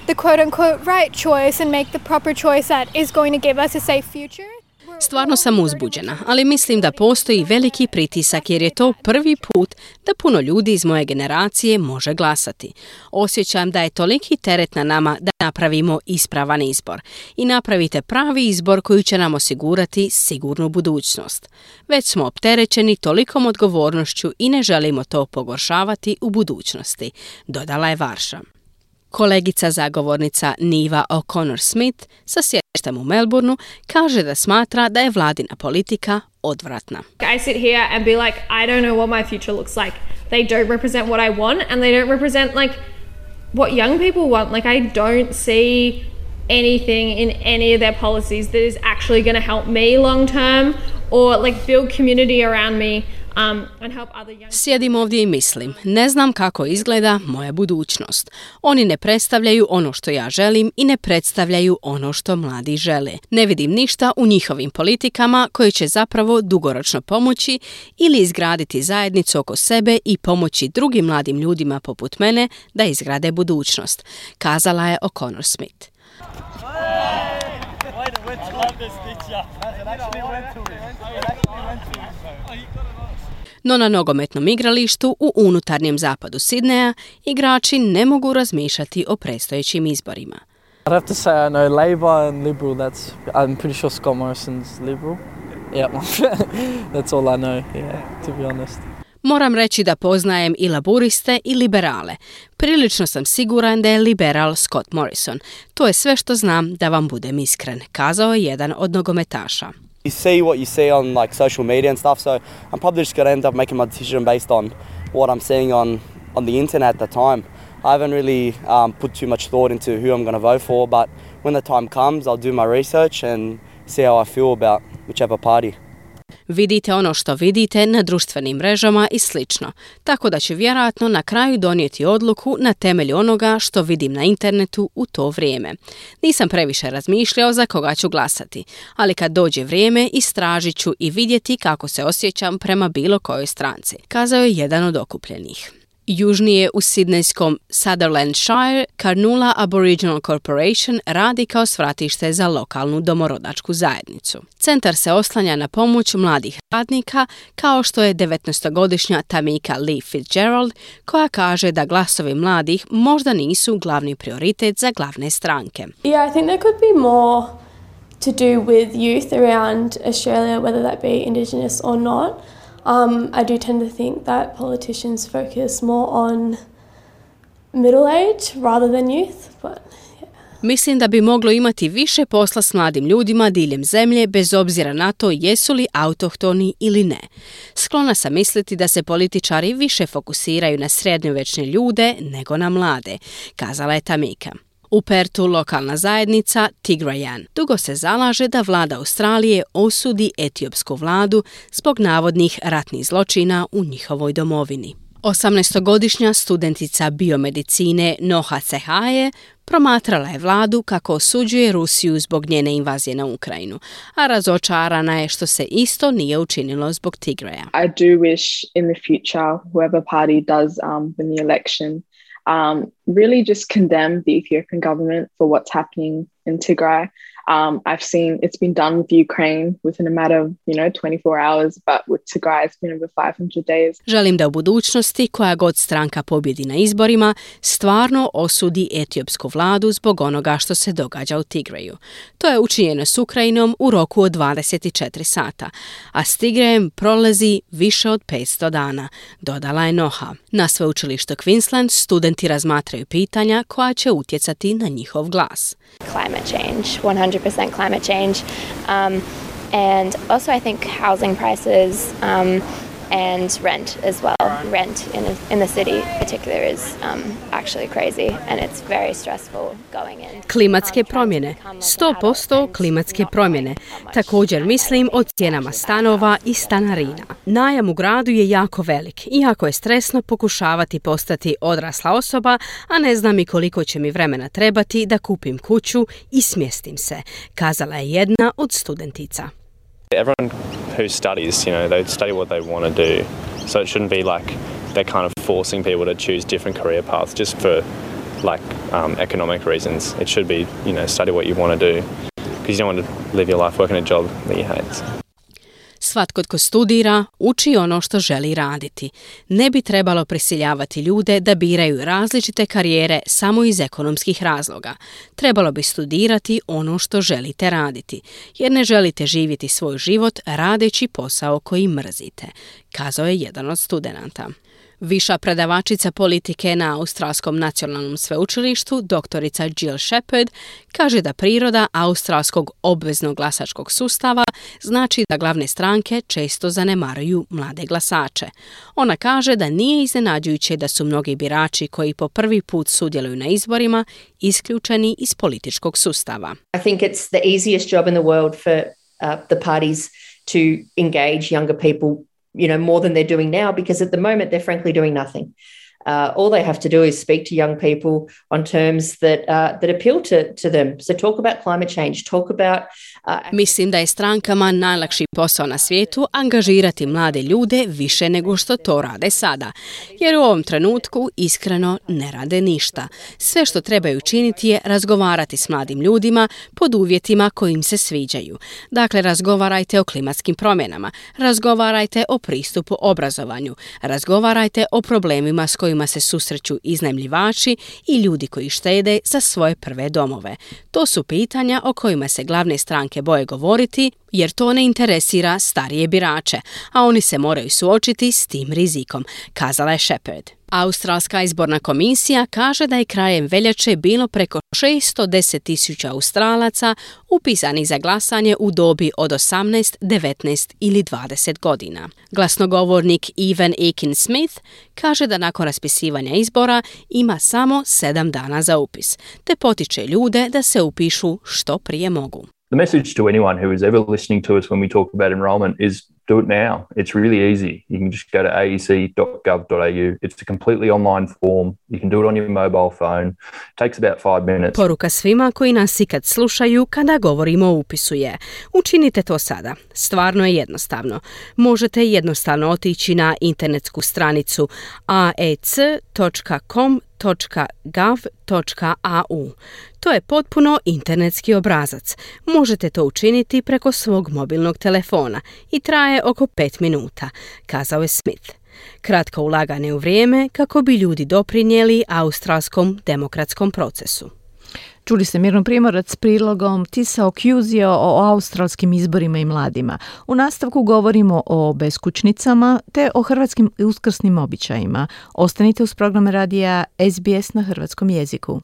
the quote-unquote right choice and make the proper choice that is going to give us a safe future. Stvarno sam uzbuđena, ali mislim da postoji veliki pritisak jer je to prvi put da puno ljudi iz moje generacije može glasati. Osjećam da je toliki teret na nama da napravimo ispravan izbor i napravite pravi izbor koji će nam osigurati sigurnu budućnost. Već smo opterećeni tolikom odgovornošću i ne želimo to pogoršavati u budućnosti, dodala je Varsha. Kolegica zagovornica Niva O'Connor-Smith sa sjedištem u Melbourneu kaže da smatra da je vladina politika odvratna. I sit here and be like, I don't know what my future looks like. They don't represent what I want and they don't represent like what young people want. Like I don't see anything in any of their policies that is actually going to help me long term or like build community around me. Sjedim ovdje i mislim, ne znam kako izgleda moja budućnost. Oni ne predstavljaju ono što ja želim i ne predstavljaju ono što mladi žele. Ne vidim ništa u njihovim politikama koje će zapravo dugoročno pomoći ili izgraditi zajednicu oko sebe i pomoći drugim mladim ljudima poput mene da izgrade budućnost, kazala je O'Connor Smith. No na nogometnom igralištu u unutarnjem zapadu Sidneja igrači ne mogu razmišljati o predstojećim izborima. I'd have to say I know Labour and Liberal. That's I'm pretty sure Scott Morrison's Liberal. Yeah, that's all I know. Yeah, to be honest. Moram reći da poznajem i laburiste i liberale. Prilično sam siguran da je liberal Scott Morrison. To je sve što znam, da vam budem iskren, kazao je jedan od nogometaša. You see what you see on like social media and stuff, so I'm probably just going to end up making my decision based on what I'm seeing on, on the internet at the time. I haven't really um, put too much thought into who I'm going to vote for, but when the time comes, I'll do my research and see how I feel about whichever party. Vidite ono što vidite na društvenim mrežama i slično, tako da ću vjerojatno na kraju donijeti odluku na temelju onoga što vidim na internetu u to vrijeme. Nisam previše razmišljao za koga ću glasati, ali kad dođe vrijeme istražit ću i vidjeti kako se osjećam prema bilo kojoj stranci, kazao je jedan od okupljenih. Južnije u sidnejskom Sutherlandshire, Carnula Aboriginal Corporation radi kao svratište za lokalnu domorodačku zajednicu. Centar se oslanja na pomoć mladih radnika, kao što je devetnaestogodišnja Tamika Lee Fitzgerald, koja kaže da glasovi mladih možda nisu glavni prioritet za glavne stranke. Yeah, I think there could be more to do with youth around Australia, whether that be Indigenous or not. Um, I do tend to think that politicians focus more on middle age rather than youth, but yeah. Mislim da bi moglo imati više posla s mladim ljudima diljem zemlje, bez obzira na to jesu li autohtoni ili ne. Sklona sam misliti da se političari više fokusiraju na srednjovječne ljude nego na mlade, kazala je Tamika. U Pertu lokalna zajednica Tigrayan dugo se zalaže da vlada Australije osudi etiopsku vladu zbog navodnih ratnih zločina u njihovoj domovini. osamnaestogodišnja studentica biomedicine Noha Cehaje promatrala je vladu kako osuđuje Rusiju zbog njene invazije na Ukrajinu, a razočarana je što se isto nije učinilo zbog Tigraya. I do wish in the future whoever party does um, win the election Um, really just condemn the Ethiopian government for what's happening in Tigray. Um, I've seen it's been done with Ukraine within a matter of, you know, twenty-four hours, but with Tigray it's been over five hundred days. Želim da u budućnosti koja god stranka pobjedi na izborima stvarno osudi etiopsku vladu zbog onoga što se događa u Tigraju. To je učinjeno s Ukrajinom u roku od dvadeset četiri sata, a s Tigrajem prolazi više od petsto dana, dodala je Noha. Na sveučilištu Queensland studenti razmatraju pitanja koja će utjecati na njihov glas. Climate change, one hundred percent climate change, um, and also I think housing prices um, and rent as well. Rent in, a, in the city in particular is um, actually crazy and it's very stressful going in. Klimatske promjene, sto posto klimatske promjene. Također mislim o cijenama stanova i stanarina. Najam u gradu je jako velik, iako je stresno pokušavati postati odrasla osoba, a ne znam i koliko će mi vremena trebati da kupim kuću i smjestim se, kazala je jedna od studentica. Everyone who studies, you know, they study what they want to do. So it shouldn't be like they're kind of forcing people to choose different career paths just for like um, economic reasons. It should be, you know, study what you want to do because you don't want to live your life working a job that you hate. Svatko tko studira, uči ono što želi raditi. Ne bi trebalo prisiljavati ljude da biraju različite karijere samo iz ekonomskih razloga. Trebalo bi studirati ono što želite raditi, jer ne želite živjeti svoj život radeći posao koji mrzite, kazao je jedan od studenata. Viša predavačica politike na Australskom nacionalnom sveučilištu, doktorica Jill Shepard, kaže da priroda australskog obveznog glasačkog sustava znači da glavne stranke često zanemaruju mlade glasače. Ona kaže da nije iznenađujuće da su mnogi birači koji po prvi put sudjeluju na izborima isključeni iz političkog sustava. I think it's the easiest job in the world for uh, the parties to engage younger people you know, more than they're doing now, because at the moment they're frankly doing nothing. Uh, all they have to do is speak to young people on terms that uh, that appeal to, to them. So talk about climate change, talk about... Uh, Mislim da je strankama najlakši posao na svijetu angažirati mlade ljude više nego što to rade sada, jer u ovom trenutku iskreno ne rade ništa. Sve što trebaju učiniti je razgovarati s mladim ljudima pod uvjetima koji im se sviđaju. Dakle, razgovarajte o klimatskim promjenama, razgovarajte o pristupu obrazovanju, razgovarajte o problemima s kojima se susreću iznajmljivači i ljudi koji štede za svoje prve domove. To su pitanja o kojima se glavne stranke boje govoriti, jer to ne interesira starije birače, a oni se moraju suočiti s tim rizikom, kazala je Shepard. Australska izborna komisija kaže da je krajem veljače bilo preko šesto deset tisuća Australaca upisanih za glasanje u dobi od osamnaest, devetnaest ili dvadeset godina. Glasnogovornik Evan Aiken-Smith kaže da nakon raspisivanja izbora ima samo sedam dana za upis, te potiče ljude da se upišu što prije mogu. The message to anyone who is ever listening to us when we talk about enrolment is do it now. It's really easy. You can just go to a e c dot gov dot a u. It's a completely online form. You can do it on your mobile phone. It takes about five minutes. Poruka svima koji nas ikad slušaju kada govorimo o upisu je: učinite to sada. Stvarno je jednostavno. Možete jednostavno otići na internetsku stranicu a e c dot com dot gov dot a u. To je potpuno internetski obrazac. Možete to učiniti preko svog mobilnog telefona i traje oko pet minuta, kazao je Smith. Kratko ulaganje u vrijeme kako bi ljudi doprinijeli australskom demokratskom procesu. Čuli ste Mirno Primorac s prilogom Tisa Okjuzio o australskim izborima i mladima. U nastavku govorimo o beskućnicama te o hrvatskim uskrsnim običajima. Ostanite uz program radija S B S na hrvatskom jeziku.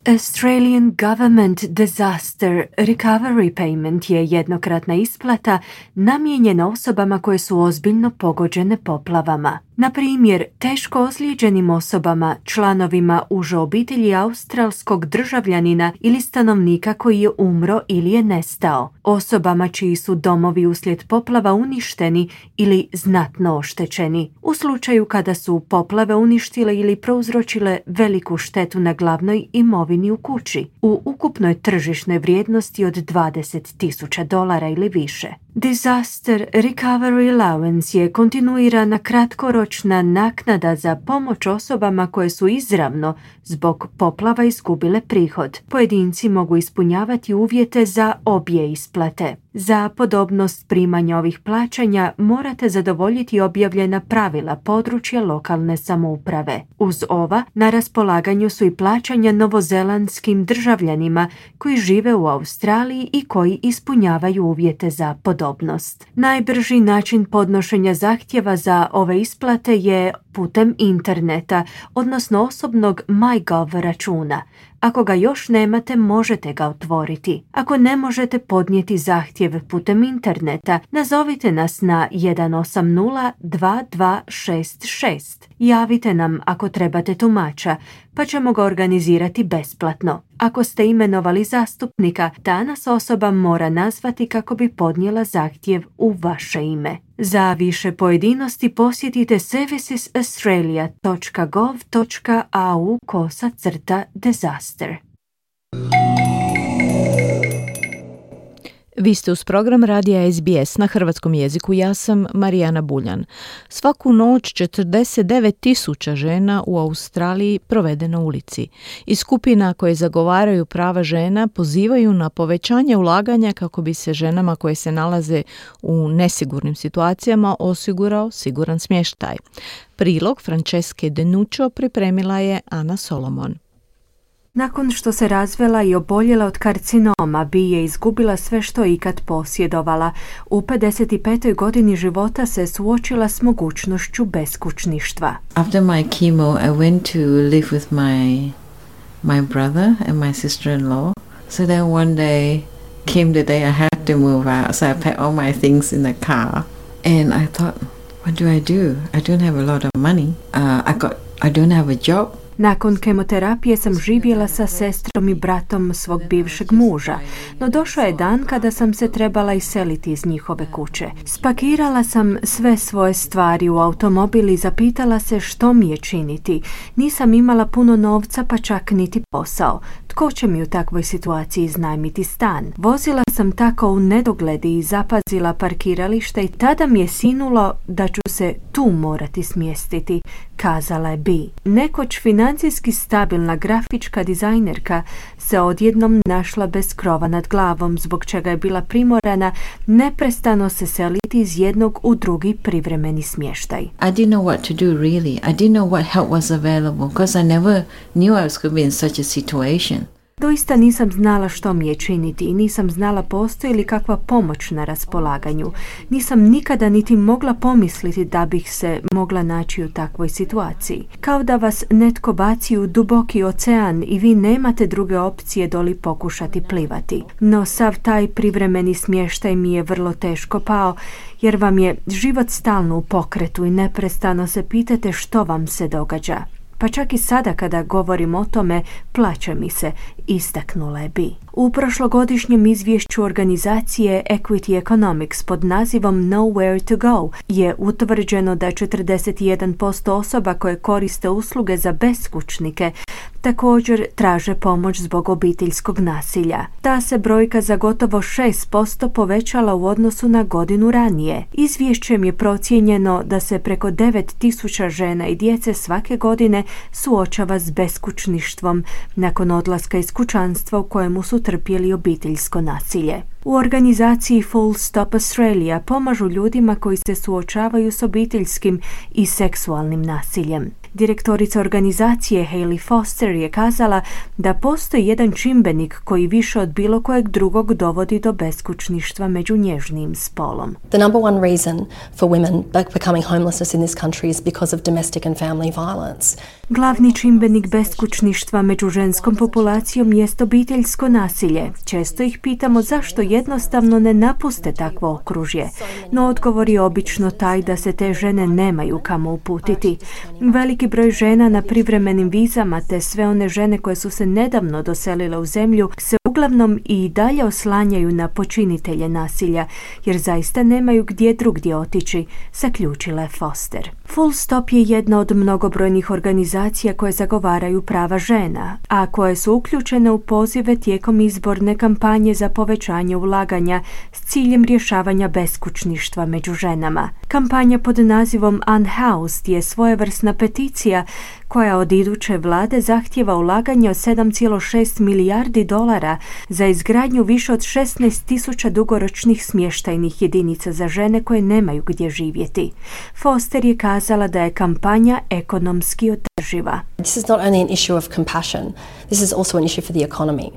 Australian Government Disaster Recovery Payment je jednokratna isplata namijenjena osobama koje su ozbiljno pogođene poplavama. Na primjer, teško ozlijeđenim osobama, članovima uže obitelji australskog državljanina ili stanovnika koji je umro ili je nestao, osobama čiji su domovi uslijed poplava uništeni ili znatno oštećeni, u slučaju kada su poplave uništile ili prouzročile veliku štetu na glavnoj imovini u kući, u ukupnoj tržišnoj vrijednosti od dvadeset tisuća dolara ili više. Disaster Recovery Allowance je kontinuirana kratkoročna naknada za pomoć osobama koje su izravno zbog poplava izgubile prihod. Pojedinci mogu ispunjavati uvjete za obje isplate. Za podobnost primanja ovih plaćanja morate zadovoljiti objavljena pravila područja lokalne samouprave. Uz ova, na raspolaganju su i plaćanja novozelandskim državljanima koji žive u Australiji i koji ispunjavaju uvjete za podobnost. Najbrži način podnošenja zahtjeva za ove isplate je putem interneta, odnosno osobnog MyGov računa. Ako ga još nemate, možete ga otvoriti. Ako ne možete podnijeti zahtjev putem interneta, nazovite nas na jedan osam nula dva dva šest šest. Javite nam ako trebate tumača, pa ćemo ga organizirati besplatno. Ako ste imenovali zastupnika, ta nas osoba mora nazvati kako bi podnijela zahtjev u vaše ime. Za više pojedinosti posjetite services australia dot gov dot a u kosa crta disaster. Vi ste uz program radija S B S na hrvatskom jeziku. Ja sam Marijana Buljan. Svaku noć četrdeset devet tisuća žena u Australiji provede na ulici. I skupina koje zagovaraju prava žena pozivaju na povećanje ulaganja kako bi se ženama koje se nalaze u nesigurnim situacijama osigurao siguran smještaj. Prilog Franceske Denuccio pripremila je Ana Solomon. Nakon što se razvela i oboljela od karcinoma, Bi je izgubila sve što je ikad posjedovala. U pedeset petoj godini života se suočila s mogućnošću beskućništva. After my chemo, I went to live with my my brother and my sister-in-law. So then one day came the day I had to move out, so I packed all my things in the car. And I thought, what do I do? I don't have a lot of money. Uh, I got I don't have a job. Nakon kemoterapije sam živjela sa sestrom i bratom svog bivšeg muža, no došao je dan kada sam se trebala iseliti iz njihove kuće. Spakirala sam sve svoje stvari u automobil i zapitala se što mi je činiti. Nisam imala puno novca, pa čak niti posao. Tko će mi u takvoj situaciji iznajmiti stan? Vozila sam tako u nedogledi i zapazila parkiralište i tada mi je sinulo da ću se tu morati smjestiti, kazala je Bi. Nekoć financijski stabilna grafička dizajnerka se odjednom našla bez krova nad glavom, zbog čega je bila primorana neprestano se seliti iz jednog u drugi privremeni smještaj. I didn't know what to do really. I didn't know what help was available because I never knew I was going to be in such a situation. Doista nisam znala što mi je činiti i nisam znala postoji li kakva pomoć na raspolaganju. Nisam nikada niti mogla pomisliti da bih se mogla naći u takvoj situaciji. Kao da vas netko baci u duboki ocean i vi nemate druge opcije doli pokušati plivati. No sav taj privremeni smještaj mi je vrlo teško pao, jer vam je život stalno u pokretu i neprestano se pitate što vam se događa. Pa čak i sada kada govorim o tome, plaća mi se, istaknula je Bi. U prošlogodišnjem izvješću organizacije Equity Economics pod nazivom Nowhere to Go je utvrđeno da četrdeset jedan posto osoba koje koriste usluge za beskućnike također traže pomoć zbog obiteljskog nasilja. Ta se brojka za gotovo šest posto povećala u odnosu na godinu ranije. Izvješćem je procijenjeno da se preko devet tisuća žena i djece svake godine suočava s beskućništvom nakon odlaska iz kućanstva u kojemu su trpjeli obiteljsko nasilje. U organizaciji Full Stop Australia pomažu ljudima koji se suočavaju s obiteljskim i seksualnim nasiljem. Direktorica organizacije Hayley Foster je kazala da postoji jedan čimbenik koji više od bilo kojeg drugog dovodi do beskućništva među nježnijim spolom. The number one reason for women becoming homelessness in this country is because of domestic and family violence. Glavni čimbenik beskućništva među ženskom populacijom jest obiteljsko nasilje. Često ih pitamo zašto jednostavno ne napuste takvo okružje, no odgovor je obično taj da se te žene nemaju kamo uputiti. Veliki broj žena na privremenim vizama te sve one žene koje su se nedavno doselile u zemlju se uglavnom i dalje oslanjaju na počinitelje nasilja, jer zaista nemaju gdje drugdje otići, zaključila je Foster. Full Stop je jedna od mnogobrojnih organizacija koje zagovaraju prava žena, a koje su uključene u pozive tijekom izborne kampanje za povećanje ulaganja s ciljem rješavanja beskućništva među ženama. Kampanja pod nazivom Unhoused je svojevrsna peticija koja od iduće vlade zahtjeva ulaganje od sedam zarez šest milijardi dolara za izgradnju više od šesnaest tisuća dugoročnih smještajnih jedinica za žene koje nemaju gdje živjeti. Foster je kazala da je kampanja ekonomski održiva. This is not only an issue of compassion, this is also an issue for the economy.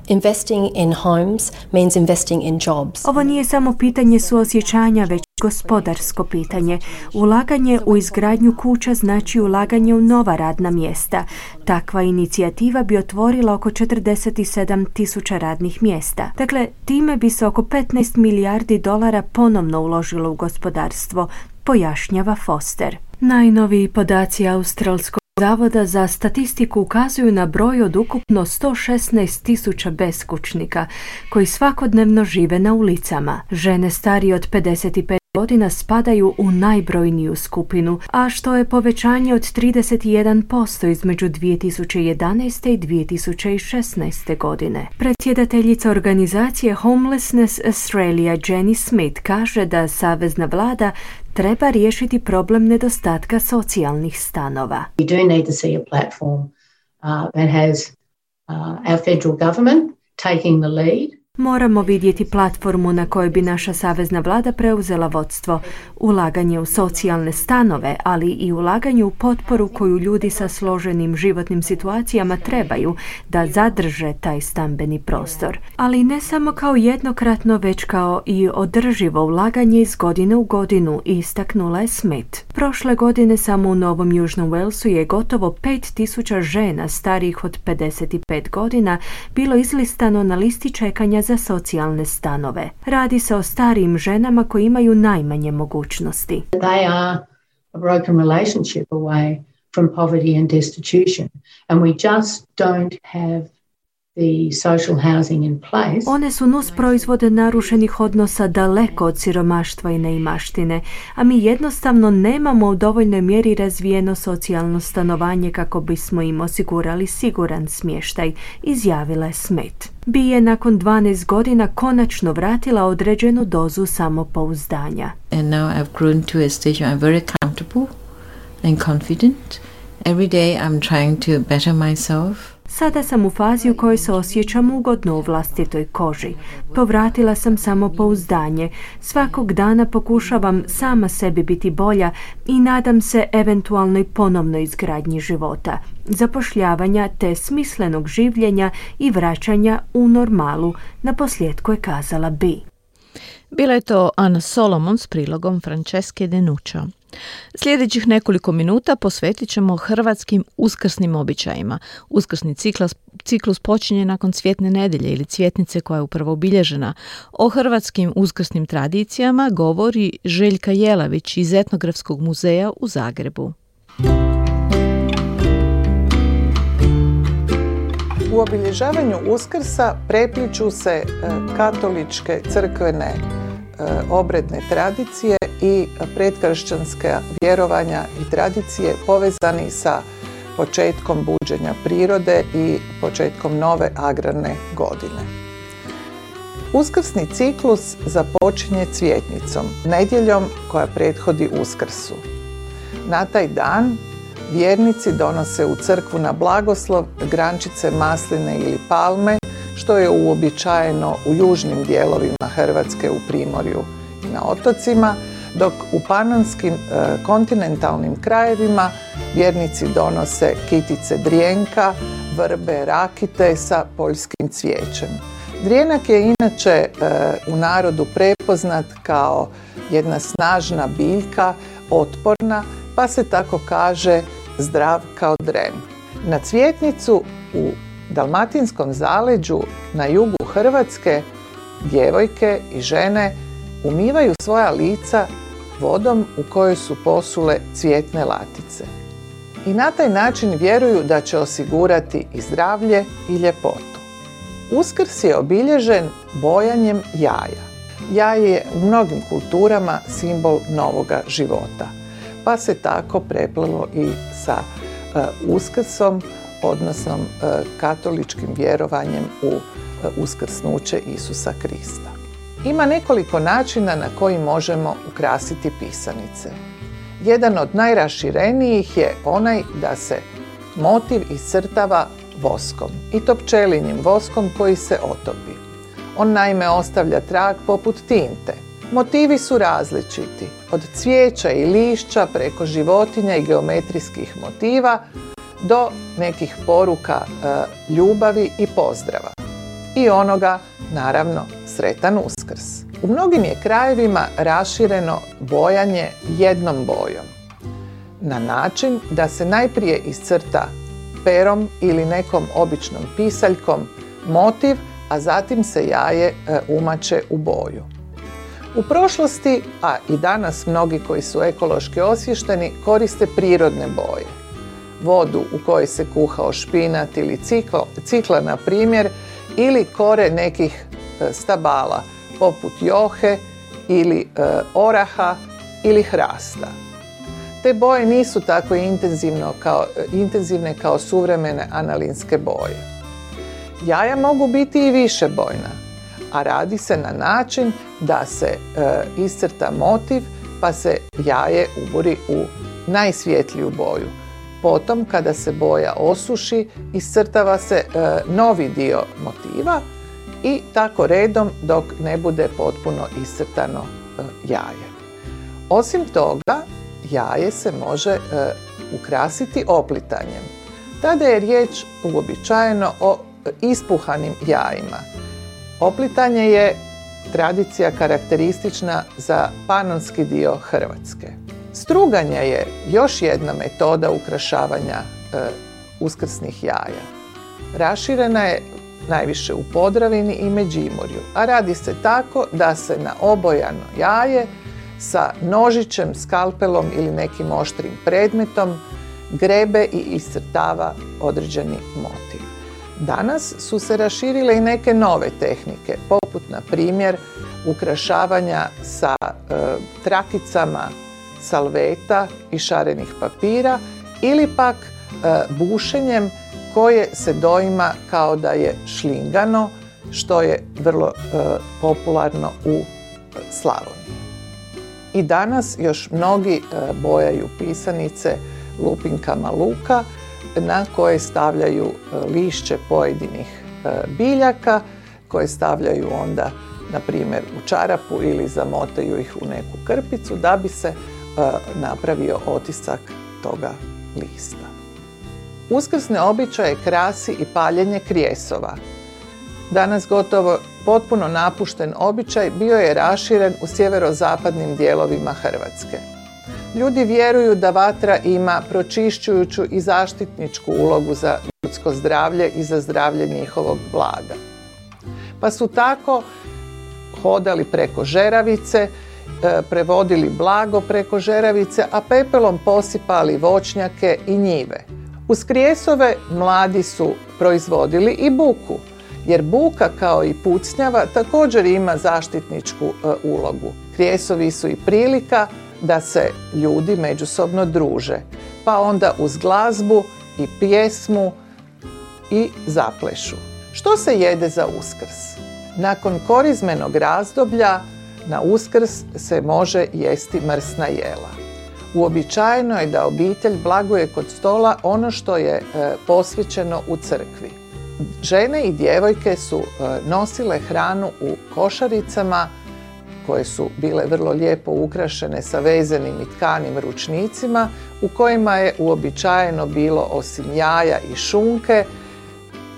Investing in homes means investing in jobs. Ovo nije samo pitanje suosjećanja, već gospodarsko pitanje. Ulaganje u izgradnju kuća znači ulaganje u nova radna mjesta. Takva inicijativa bi otvorila oko četrdeset sedam tisuća radnih mjesta. Dakle, time bi se oko petnaest milijardi dolara ponovno uložilo u gospodarstvo, pojašnjava Foster. Najnoviji podaci australskog Zavoda za statistiku ukazuju na broj od ukupno sto šesnaest tisuća beskućnika koji svakodnevno žive na ulicama. Žene starije od pedeset pet godina spadaju u najbrojniju skupinu, a što je povećanje od trideset jedan posto između dvije tisuće jedanaeste i dvije tisuće šesnaeste godine. Predsjedateljica organizacije Homelessness Australia Jenny Smith kaže da savezna vlada treba riješiti problem nedostatka socijalnih stanova. We do need to see a platform uh, that has uh, our federal government taking the lead. Moramo vidjeti platformu na kojoj bi naša savezna vlada preuzela vodstvo, ulaganje u socijalne stanove, ali i ulaganje u potporu koju ljudi sa složenim životnim situacijama trebaju da zadrže taj stambeni prostor. Ali ne samo kao jednokratno, već kao i održivo ulaganje iz godine u godinu, istaknula je Smith. Prošle godine samo u Novom Južnom Walesu je gotovo pet tisuća žena starijih od pedeset pet godina bilo izlistano na listi čekanja za socijalne stanove. Radi se o starijim ženama koji imaju najmanje mogućnosti. They are a broken relationship away from poverty and destitution. And we just don't have the social housing in place. One su nus proizvode narušenih odnosa daleko od siromaštva i neimaštine, a mi jednostavno nemamo u dovoljnoj mjeri razvijeno socijalno stanovanje kako bismo im osigurali siguran smještaj, izjavila je Smith. Bi je nakon dvanaest godina konačno vratila određenu dozu samopouzdanja. And now I've grown to a stage where I'm very comfortable and confident. Every day I'm trying to better myself. Sada sam u fazi u kojoj se osjećam ugodno u vlastitoj koži. Povratila sam samopouzdanje. Svakog dana pokušavam sama sebi biti bolja i nadam se eventualnoj ponovnoj izgradnji života, zapošljavanja te smislenog življenja i vraćanja u normalu, naposljetku je kazala Bi. Bila je to Ana Solomon s prilogom Franceske Denuccio. Sljedećih nekoliko minuta posvetit ćemo hrvatskim uskrsnim običajima. Uskrsni ciklus, ciklus počinje nakon Cvjetne nedjelje ili Cvjetnice koja je upravo obilježena. O hrvatskim uskrsnim tradicijama govori Željka Jelavić iz Etnografskog muzeja u Zagrebu. U obilježavanju Uskrsa prepliču se katoličke crkvene obredne tradicije i predkršćanska vjerovanja i tradicije povezani sa početkom buđenja prirode i početkom nove agrarne godine. Uskrsni ciklus započinje cvjetnicom, nedjeljom koja prethodi Uskrsu. Na taj dan vjernici donose u crkvu na blagoslov grančice masline ili palme, što je uobičajeno u južnim dijelovima Hrvatske, u Primorju i na otocima, dok u panonskim e, kontinentalnim krajevima vjernici donose kitice drijenka, vrbe, rakite sa poljskim cvijećem. Drijenak je inače e, u narodu prepoznat kao jedna snažna biljka, otporna, pa se tako kaže zdrav kao dren. Na cvjetnicu u Dalmatinskom zaleđu na jugu Hrvatske djevojke i žene umivaju svoja lica vodom u kojoj su posule cvjetne latice. I na taj način vjeruju da će osigurati i zdravlje i ljepotu. Uskrs je obilježen bojanjem jaja. Jaje je u mnogim kulturama simbol novoga života, pa se tako preplelo i sa uh, Uskrsom, odnosno uh, katoličkim vjerovanjem u uh, uskrsnuće Isusa Krista. Ima nekoliko načina na koji možemo ukrasiti pisanice. Jedan od najraširenijih je onaj da se motiv iscrtava voskom, i to pčelinjim voskom koji se otopi. On naime ostavlja trag poput tinte. Motivi su različiti, od cvijeća i lišća preko životinja i geometrijskih motiva do nekih poruka e, ljubavi i pozdrava. I onoga, naravno, sretan Uskrs. U mnogim je krajevima rašireno bojanje jednom bojom, na način da se najprije iscrta perom ili nekom običnom pisaljkom motiv, a zatim se jaje e, umače u boju. U prošlosti, a i danas mnogi koji su ekološki osviješteni koriste prirodne boje. Vodu u kojoj se kuhao špinat ili cikla, cikla na primjer, ili kore nekih e, stabala poput johe ili e, oraha ili hrasta. Te boje nisu tako intenzivno kao, intenzivne kao suvremene analinske boje. Jaja mogu biti i višebojna, a radi se na način da se e, iscrta motiv pa se jaje ubori u najsvjetliju boju. Potom, kada se boja osuši, iscrtava se e, novi dio motiva i tako redom dok ne bude potpuno iscrtano e, jaje. Osim toga, jaje se može e, ukrasiti oplitanjem. Tada je riječ uobičajeno o ispuhanim jajima. Oplitanje je tradicija karakteristična za panonski dio Hrvatske. Struganje je još jedna metoda ukrašavanja e, uskrsnih jaja. Raširena je najviše u Podravini i Međimurju, a radi se tako da se na obojano jaje sa nožićem, skalpelom ili nekim oštrim predmetom grebe i iscrtava određeni motiv. Danas su se raširile i neke nove tehnike, poput na primjer ukrašavanja sa e, trakicama salveta i šarenih papira ili pak e, bušenjem koje se doima kao da je šlingano, što je vrlo e, popularno u Slavoniji. I danas još mnogi e, bojaju pisanice lupinkama luka na koje stavljaju e, lišće pojedinih e, biljaka, koje stavljaju onda na primjer u čarapu ili zamotaju ih u neku krpicu da bi se e, napravio otisak toga lista. Uskrsne običaje krasi i paljenje krijesova. Danas gotovo potpuno napušten običaj bio je raširen u sjeverozapadnim dijelovima Hrvatske. Ljudi vjeruju da vatra ima pročišćujuću i zaštitničku ulogu za ljudsko zdravlje i za zdravlje njihovog blaga. Pa su tako hodali preko žeravice, prevodili blago preko žeravice, a pepelom posipali voćnjake i njive. Uz krijesove mladi su proizvodili i buku, jer buka kao i pucnjava također ima zaštitničku e, ulogu. Krijesovi su i prilika da se ljudi međusobno druže, pa onda uz glazbu i pjesmu i zaplešu. Što se jede za Uskrs? Nakon korizmenog razdoblja na Uskrs se može jesti mrsna jela. Uobičajeno je da obitelj blaguje kod stola ono što je e, posvećeno u crkvi. Žene i djevojke su e, nosile hranu u košaricama koje su bile vrlo lijepo ukrašene sa vezenim i tkanim ručnicima u kojima je uobičajeno bilo osim jaja i šunke,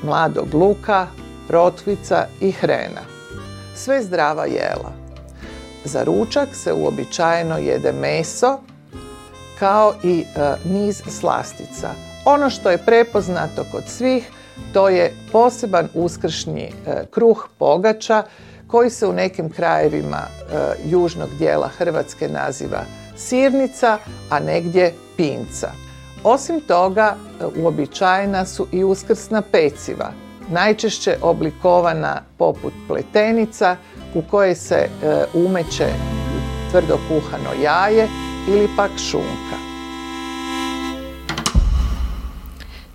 mladog luka, rotkvica i hrena. Sve zdrava jela. Za ručak se uobičajeno jede meso kao i e, niz slastica. Ono što je prepoznato kod svih to je poseban uskršnji e, kruh pogača koji se u nekim krajevima e, južnog dijela Hrvatske naziva sirnica, a negdje pinca. Osim toga, e, uobičajena su i uskrsna peciva, najčešće oblikovana poput pletenica u koje se e, umeće tvrdo kuhano jaje ili pak šunka.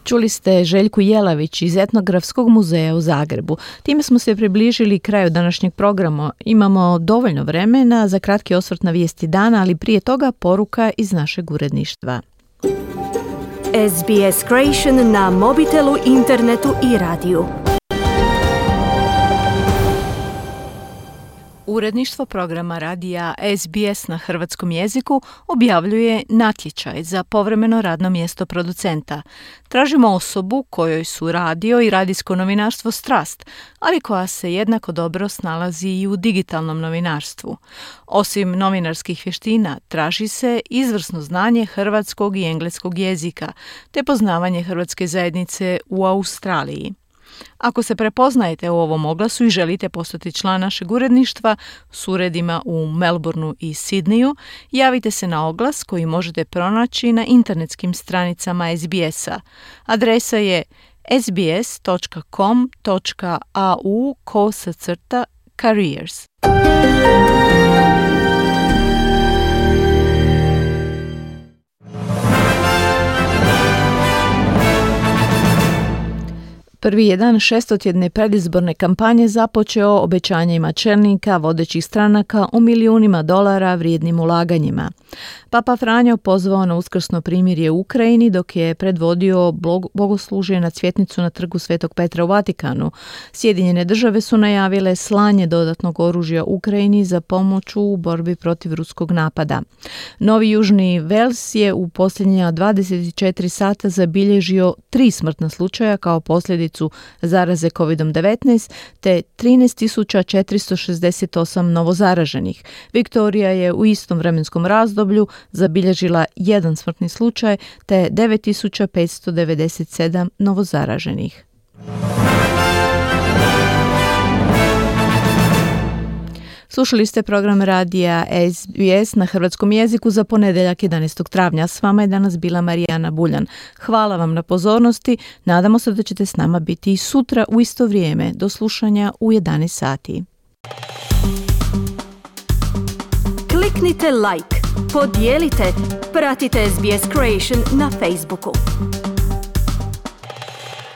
Čuli ste Željku Jelavić iz Etnografskog muzeja u Zagrebu. Time smo se približili kraju današnjeg programa. Imamo dovoljno vremena za kratki osvrt na vijesti dana, ali prije toga poruka iz našeg uredništva. S B S Creation na mobitelu, internetu i radiju. Uredništvo programa radija S B S na hrvatskom jeziku objavljuje natječaj za povremeno radno mjesto producenta. Tražimo osobu kojoj su radio i radijsko novinarstvo strast, ali koja se jednako dobro snalazi i u digitalnom novinarstvu. Osim novinarskih vještina, traži se izvrsno znanje hrvatskog i engleskog jezika, te poznavanje hrvatske zajednice u Australiji. Ako se prepoznajete u ovom oglasu i želite postati član našeg uredništva s uredima u Melbourneu i Sidneju, javite se na oglas koji možete pronaći na internetskim stranicama S B S-a. Adresa je sbs.com.au kosacrta careers. Prvi je dan šestotjedne predizborne kampanje započeo obećanjima čelnika vodećih stranaka o milijunima dolara vrijednim ulaganjima. Papa Franjo pozvao na uskrsno primirje u Ukrajini dok je predvodio bogoslužje na cvjetnicu na trgu Svetog Petra u Vatikanu. Sjedinjene države su najavile slanje dodatnog oružja Ukrajini za pomoć u borbi protiv ruskog napada. Novi Južni Vels je u posljednja dvadeset četiri sata zabilježio tri smrtna slučaja kao posljedicu zaraze kovid devetnaest te trinaest tisuća četiristo šezdeset osam novozaraženih. Viktorija je u istom vremenskom razdoblju zabilježila jedan smrtni slučaj te devet tisuća petsto devedeset sedam novozaraženih. Slušali ste program radija S B S na hrvatskom jeziku za ponedeljak jedanaestog travnja. S vama je danas bila Marijana Buljan. Hvala vam na pozornosti. Nadamo se da ćete s nama biti i sutra u isto vrijeme. Do slušanja u jedanaest sati. Kliknite like, podijelite, pratite S B S Creation na Facebooku.